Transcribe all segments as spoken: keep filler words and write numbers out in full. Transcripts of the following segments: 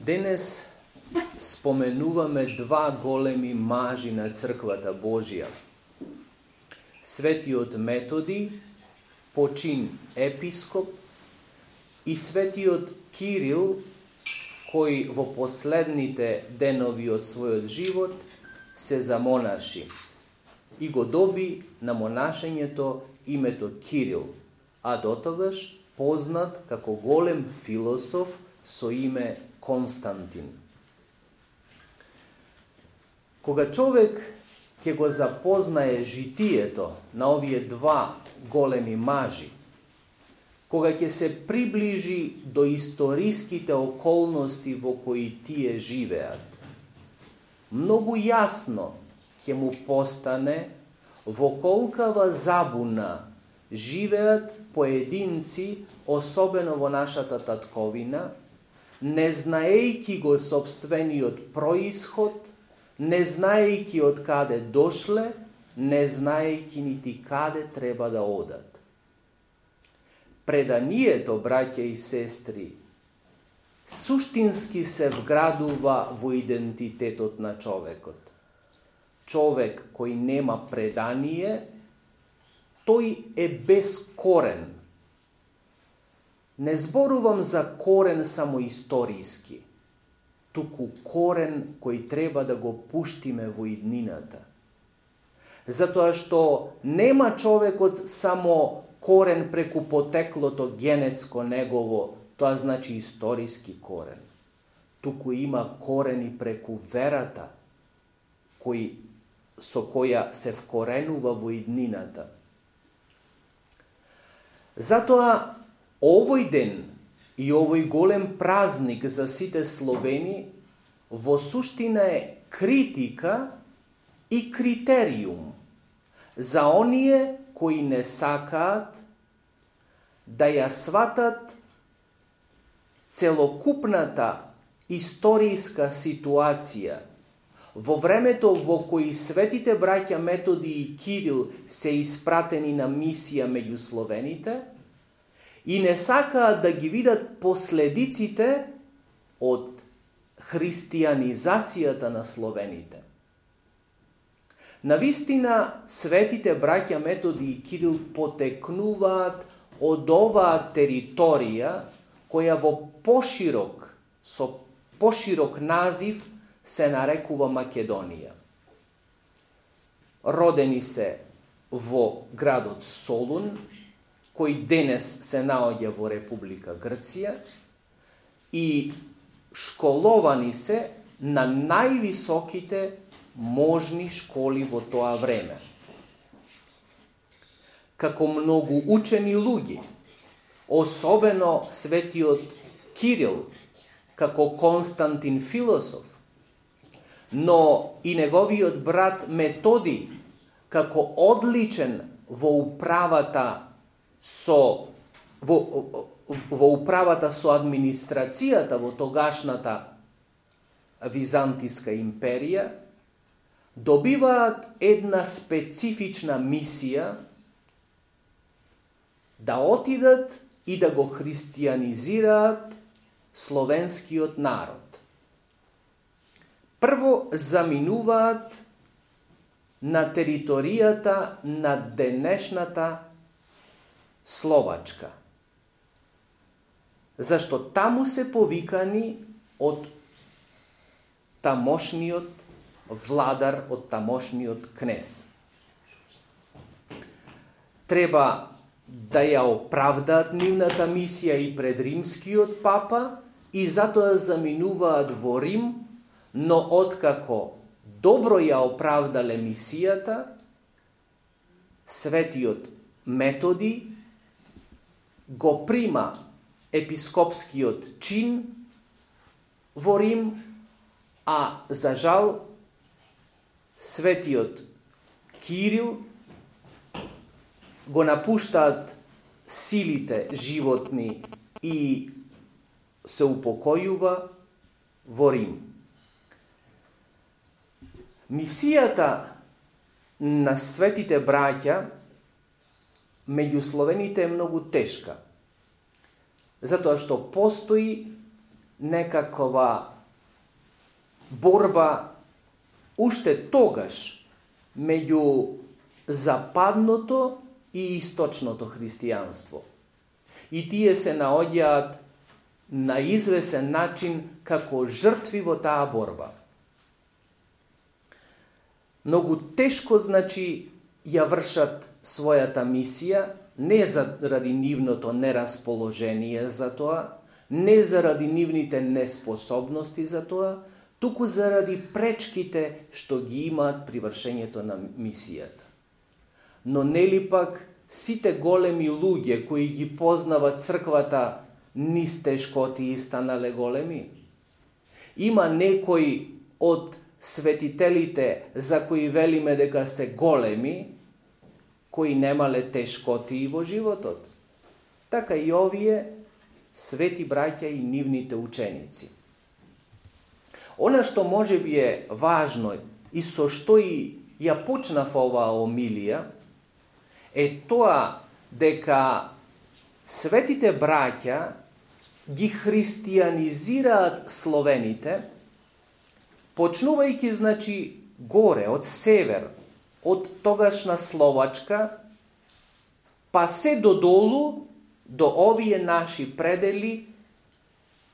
Денес споменуваме два големи мажи на црквата Божија. Светиот Методи, почин епископ, и светиот Кирил, кој во последните денови од својот живот се замонаши и го доби на монашењето името Кирил, а дотогаш познат како голем философ со име Константин. Кога човек ќе го запознае житието на овие два големи мажи, кога ќе се приближи до историските околности во кои тие живеат, многу јасно ќе му постане во колкава забуна живеат поединци, особено во нашата татковина, не знаејќи го сопствениот происход, не знаејќи од каде дошле, не знаејќи нити каде треба да одат. Преданието, браќа и сестри, суштински се вградува во идентитетот на човекот. Човек кој нема предание, тој е без корен. Не зборувам за корен само историски, туку корен кој треба да го пуштиме во иднината. Затоа што нема човекот само корен преку потеклото генетско негово, тоа значи историски корен. Туку има корени преку верата, кој, со која се вкоренува во иднината. Затоа овој ден и овој голем празник за сите словени во суштина е критика и критериум за оние кои не сакаат да ја сватат целокупната историска ситуација во времето во кои светите браќа Методи и Кирил се испратени на мисија меѓу словените и не сакаат да ги видат последиците од христијанизацијата на словените. Навистина, светите браќа Методи и Кирил потекнуваат од оваа територија која во поширок, со поширок назив се нарекува Македонија. Родени се во градот Солун, кој денес се наоѓа во Република Грција, и школовани се на највисоките можни школи во тоа време. Како многу учени луѓе, особено светиот Кирил, како Константин философ, но и неговиот брат Методи, како одличен во управата со во, во управата со администрацијата во тогашната Византиска империја, добиваат една специфична мисија да отидат и да го христијанизираат словенскиот народ. Прво заминуваат на територијата на денешната Словачка, зашто таму се повикани од тамошниот владар, од тамошниот кнез. Треба да ја оправдаат нивната мисија и пред римскиот папа и затоа заминуваат во Рим, но откако добро ја оправдале мисијата, светиот Методи го прима епископскиот чин во Рим, а за жал светиот Кирил го напуштаат силите животни и се упокојува во Рим. Мисијата на светите браќа меѓу словените е многу тешка, затоа што постои некаква борба уште тогаш меѓу западното и источното христијанство. И тие се наоѓаат на извесен начин како жртви во таа борба. Многу тешко, значи, ја вршат својата мисија, не заради нивното нерасположение за тоа, не заради нивните неспособности за тоа, туку заради пречките што ги имаат при вршењето на мисијата. Но нели пак сите големи луѓе кои ги познават црквата низ тешкоти станале големи? Има некои од светителите за кои велиме дека се големи, кои немале тешкоти во животот. Така и овие свети браќа и нивните ученици. Она што може би е важно и со што и ја почнав оваа омилија, е тоа дека светите браќа ги христијанизираат словените, почнувајќи, значи, горе, од север, од тогашна Словачка, па се додолу, до овие наши предели,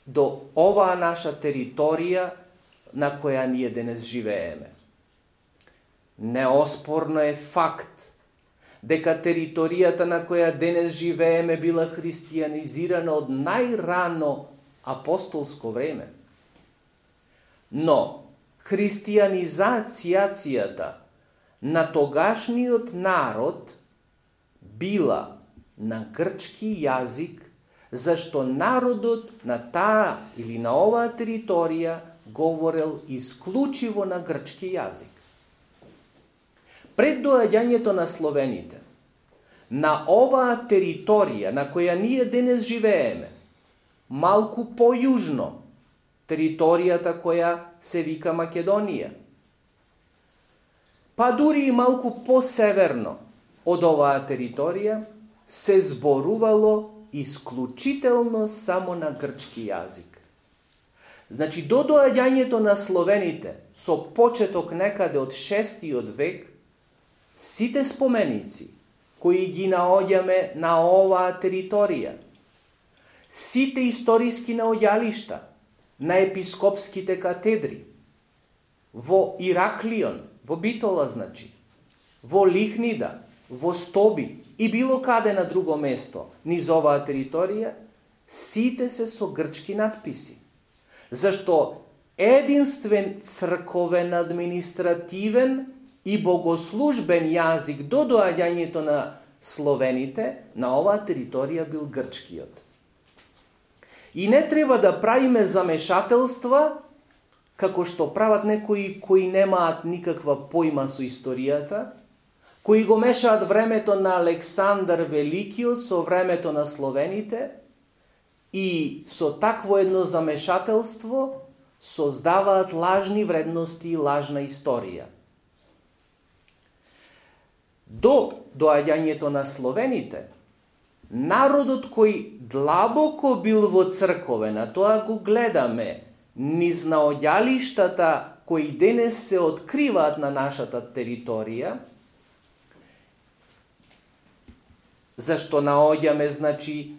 до оваа наша територија на која ние денес живееме. Неоспорно е факт дека територијата на која денес живееме била христијанизирана од најрано апостолско време. Но христијанизацијата на тогашниот народ била на грчки јазик, зашто народот на таа или на оваа територија говорел исклучиво на грчки јазик. Пред доаѓањето на словените, на оваа територија на која ние денес живееме, малку појужно, територијата која се вика Македонија, па дури и малку посеверно од оваа територија, се зборувало исклучително само на грчки јазик. Значи, до доаѓањето на словените, со почеток некаде од шестиот век, сите споменици кои ги наоѓаме на оваа територија, сите историски наоѓалишта на епископските катедри, во Ираклион, во Битола, значи, во Лихнида, во Стоби и било каде на друго место низ оваа територија, сите се со грчки надписи. Зашто единствен црковен, административен и богослужбен јазик до доаѓањето на словените на оваа територија бил грчкиот. И не треба да правиме замешателства, како што прават некои кои немаат никаква појма со историјата, кои го мешаат времето на Александар Великиот со времето на словените и со такво едно замешателство создаваат лажни вредности и лажна историја. До доаѓањето на словените, народот кој длабоко бил во црковена, тоа го гледаме низ наоѓалиштата кои денес се откриваат на нашата територија, зашто наоѓаме, значи,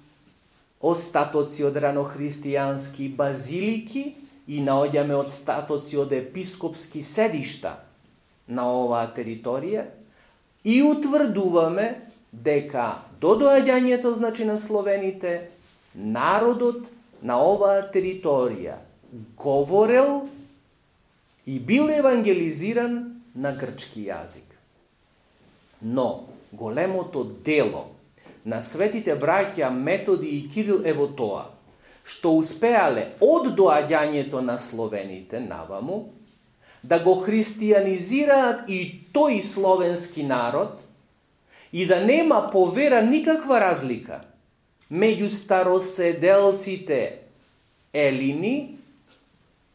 остатоци од ранохристијански базилики и наоѓаме остатоци од епископски седишта на оваа територија и утврдуваме дека до доаѓањето, значи, на словените, народот на оваа територија говорел и бил евангелизиран на грчки јазик. Но големото дело на светите браќа Методи и Кирил е во тоа, што успеале од доаѓањето на словените наваму да го христијанизираат и тој словенски народ и да нема по вера никаква разлика меѓу староседелците елини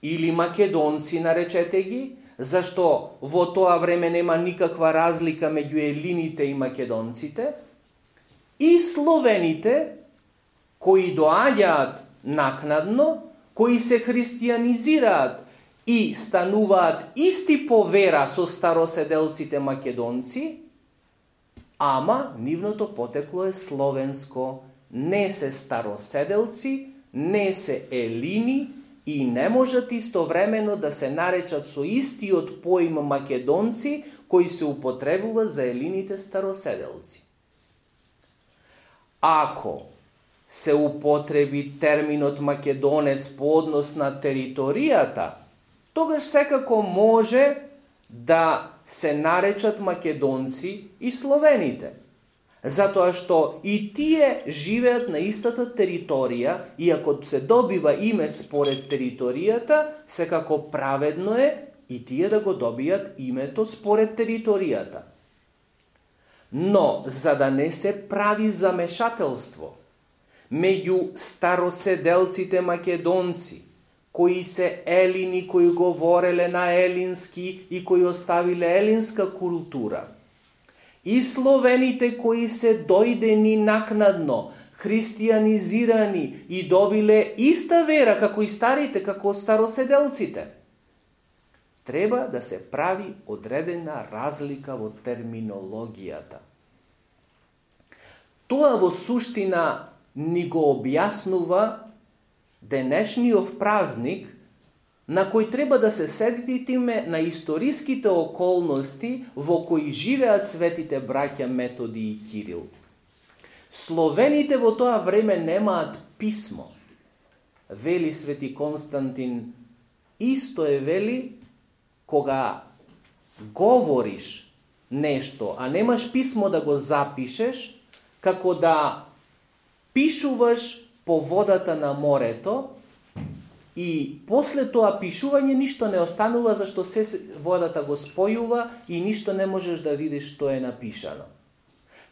или македонци, наречете ги, зашто во тоа време нема никаква разлика меѓу елините и македонците, и словените кои доаѓаат накнадно, кои се христијанизираат и стануваат исти по вера со староседелците македонци, ама нивното потекло е словенско, не се староседелци, не се елини и не можат истовремено да се наречат со истиот поим македонци кои се употребува за елините староседелци. Ако се употреби терминот македонец по однос на територијата, тогаш секако може да се наречат македонци и словените. Затоа што и тие живеат на истата територија и ако се добива име според територијата, секако праведно е и тие да го добијат името според територијата. Но, за да не се прави замешателство меѓу староседелците македонци, кои се елини, кои говореле на елински и кои оставиле елинска култура, и словените кои се дојдени накнадно, христијанизирани и добиле иста вера како и старите, како староседелците, треба да се прави одредена разлика во терминологијата. Тоа во суштина ни го објаснува денешниот празник на кој треба да се сетиме на историските околности во кои живеат светите браќа Методи и Кирил. Словените во тоа време немаат писмо. Вели свети Константин, исто е вели кога говориш нешто, а немаш писмо да го запишеш, како да пишуваш по водата на морето и после тоа пишување ништо не останува, зашто се водата го спојува и ништо не можеш да видиш што е напишано.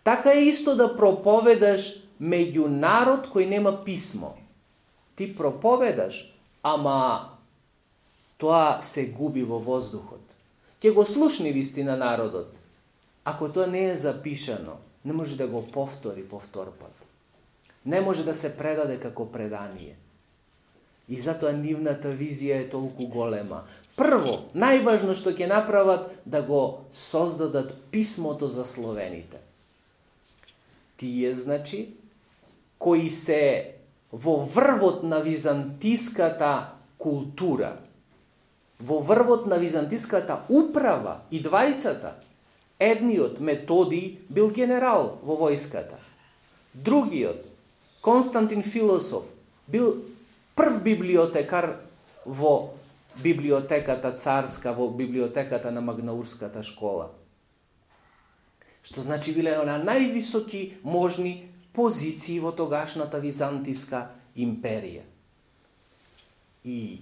Така е исто да проповедаш меѓу народ кој нема писмо. Ти проповедаш, ама тоа се губи во воздухот. Ке го слушни вистина народот. Ако тоа не е запишано, не може да го повтори повтор пат. Не може да се предаде како предание. И затоа нивната визија е толку голема. Прво, најважно што ќе направат, да го создадат писмото за словените. Тие, значи, кои се во врвот на византиската култура, во врвот на византиската управа и двајцата, едниот Методи бил генерал во војската. Другиот, Константин Философ, бил прв библиотекар во библиотеката царска, во библиотеката на Магнаурската школа. Што значи биле на највисоки можни позиции во тогашната византиска империја. И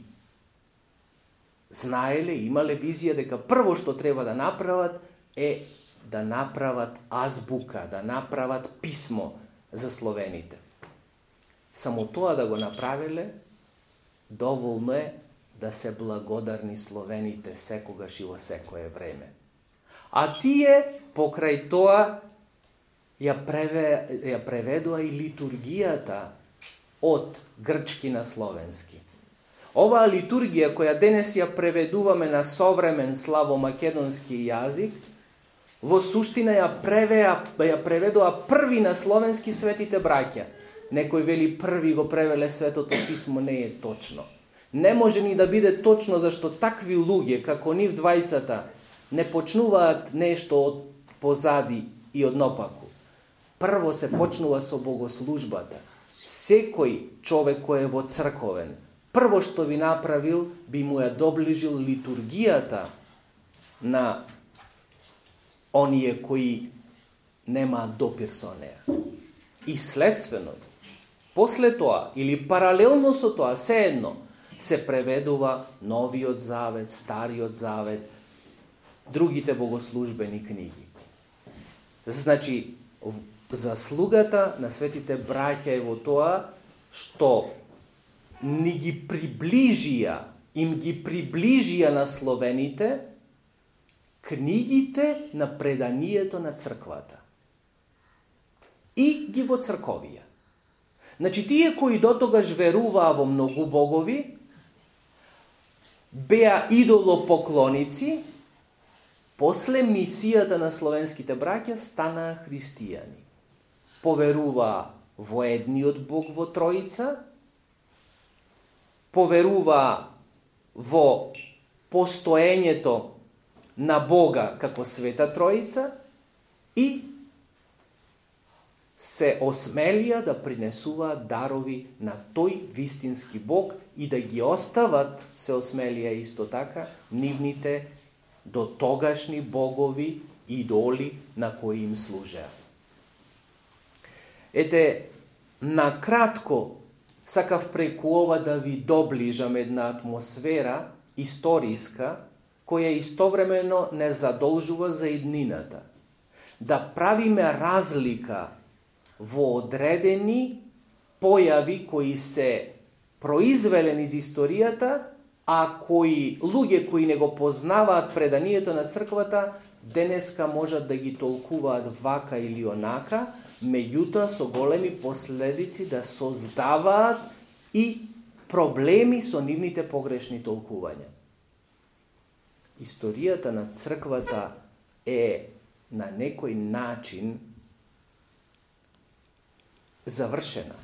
знаеле, имале визија дека прво што треба да направат е да направат азбука, да направат писмо за словените. Само тоа да го направиле, доволно е да се благодарни словените секогаш и во секое време. А тие, покрај тоа, ја, преве, ја преведува и литургијата од грчки на словенски. Оваа литургија, која денес ја преведуваме на современ славомакедонски јазик, во суштина ја, превеа, ја преведува први на словенски светите браќа. Некој вели први го превеле Светото писмо, не е точно. Не може ни да биде точно, зашто такви луѓе, како нив двајцата, не почнуваат нешто од позади и од напаку. Прво се почнува со богослужбата. Секој човек кој е во црковен, прво што би направил, би му ја доближил литургијата на оние кои немаат допир со неа. И следствено, после тоа, или паралелно со тоа, сеедно, се преведува Новиот Завет, Стариот Завет, другите богослужбени книги. Значи, заслугата на светите браќа е во тоа што ни ги приближија, им ги приближија на словените книгите на преданието на црквата. И ги во црковија. Значи, тие кои дотогаш веруваа во многу богови, беа идолопоклоници, после мисијата на словенските браќа станаа христијани. Поверува во едниот Бог во Троица, поверува во постоењето на Бога како Света Троица и се осмелија да принесуваат дарови на тој вистински Бог и да ги остават, се осмелија исто така, нивните до тогашни богови, идоли на кои им служеа. Ете, накратко, сакав преку ова да ви доближам една атмосфера историска, која истовремено не задолжува за иднината. Да правиме разлика во одредени појави кои се произвелени из историјата, а кои луѓе кои не го познаваат преданието на црквата, денеска можат да ги толкуваат вака или онака, меѓутоа со големи последици да создаваат и проблеми со нивните погрешни толкувања. Историјата на црквата е на некој начин завршена.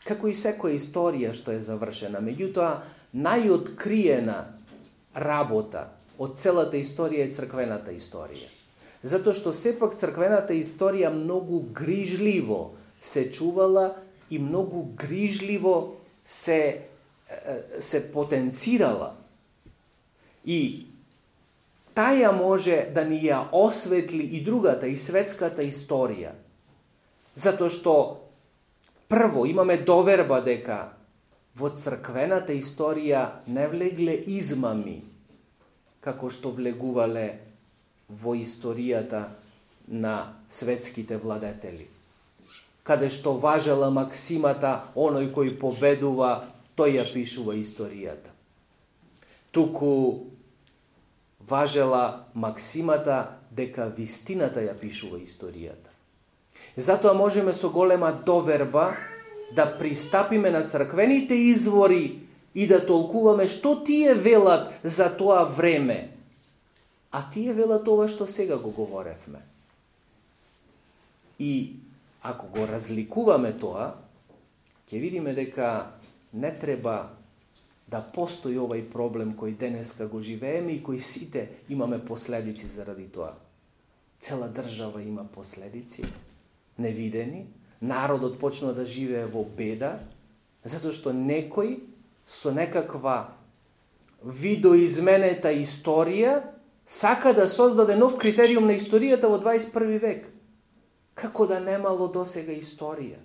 Како и секоја историја што е завршена, меѓутоа најоткриена работа од целата историја е црквената историја. Затоа што сепак црквената историја многу грижливо се чувала и многу грижливо се, се потенцирала. И таја може да ни ја осветли и другата, и светската историја. Затоа што прво имаме доверба дека во црквената историја не влегле измами, како што влегувале во историјата на светските владетели. Каде што важела максимата, оној кој победува, тој ја пишува историјата. Туку важела максимата дека вистината ја пишува историјата. Затоа можеме со голема доверба да пристапиме на црквените извори и да толкуваме што тие велат за тоа време, а тие велат ова што сега го говоревме. И ако го разликуваме тоа, ќе видиме дека не треба да постои овај проблем кој денеска го живееме и кој сите имаме последици заради тоа. Цела држава има последици, невидени, народот почнува да живее во беда, затоа што некој со некаква видоизменета историја сака да создаде нов критериум на историјата во дваесет и први век. Како да немало досега историја,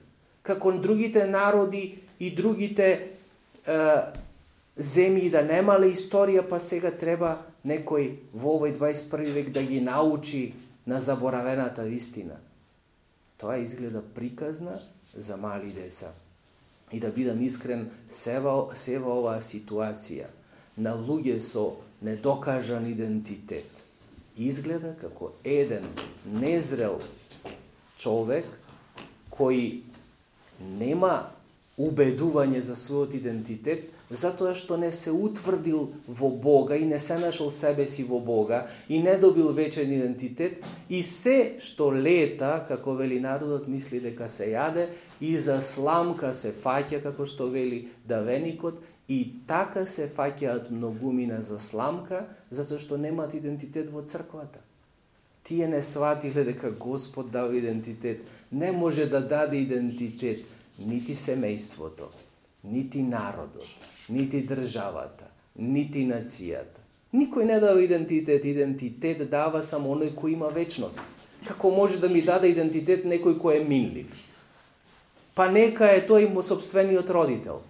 како другите народи и другите е, земји да немале историја, па сега треба некој во овој дваесет и први век да ги научи на заборавената вистина. Тоа изгледа приказна за мали деца. И да бидам искрен, сева, сева оваа ситуација на луѓе со недокажан идентитет изгледа како еден незрел човек кој нема убедување за својот идентитет, затоа што не се утврдил во Бога и не се нашол себе си во Бога и не добил вечен идентитет и се што лета, како вели народот, мисли дека се јаде и за сламка се фаќа, како што вели давеникот, и така се фаќаат многумина за сламка, затоа што немаат идентитет во црквата. Тие не сватиле дека Господ дава идентитет. Не може да даде идентитет нити семејството, нити народот, нити државата, нити нацијата. Никој не дава идентитет. Идентитет дава само оној кој има вечност. Како може да ми даде идентитет некој кој е минлив? Па нека е тој му собствениот родител.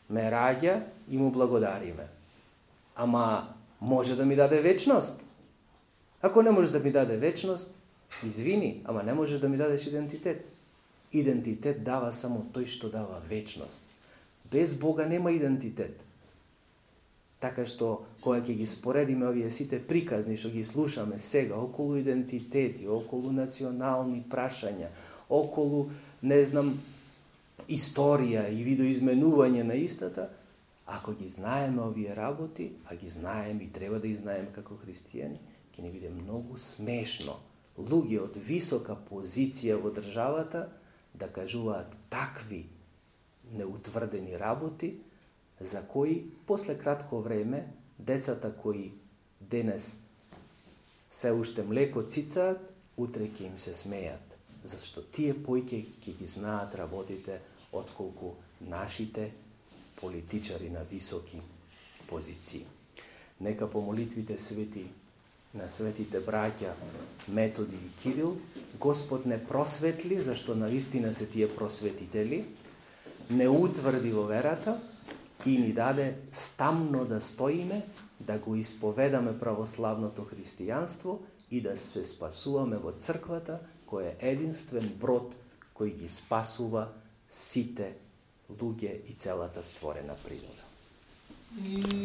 Ме раѓа и му благодариме. Ама може да ми даде вечност? Ако не може да ми даде вечност, извини, ама не можеш да ми дадеш идентитет. Идентитет дава само тој што дава вечност. Без Бога нема идентитет. Така што, кога ќе ги споредиме овие сите приказни што ги слушаме сега, околу идентитети, околу национални прашања, околу, не знам, историја и видоизменување на истата, Ако ги знаеме овие работи, а ги знаеме и треба да ги знаеме како христијани, ќе не биде многу смешно луѓе од висока позиција во државата да кажуваат такви неутврдени работи, за кои после кратко време децата кои денес се уште млеко цицаат, утре ќе им се смеат, зашто тие поиќе ќе ги знаат работите отколку нашите политичари на високи позиции. Нека по молитвите свети на светите браќа Методи и Кирил Господ не просветли, зашто навистина се тие просветители, не утврди во верата и ни даде стамно да стоиме, да го исповедаме православното христијанство и да се спасуваме во црквата, кој е единствен брод кој ги спасува сите луѓе и целата створена природа.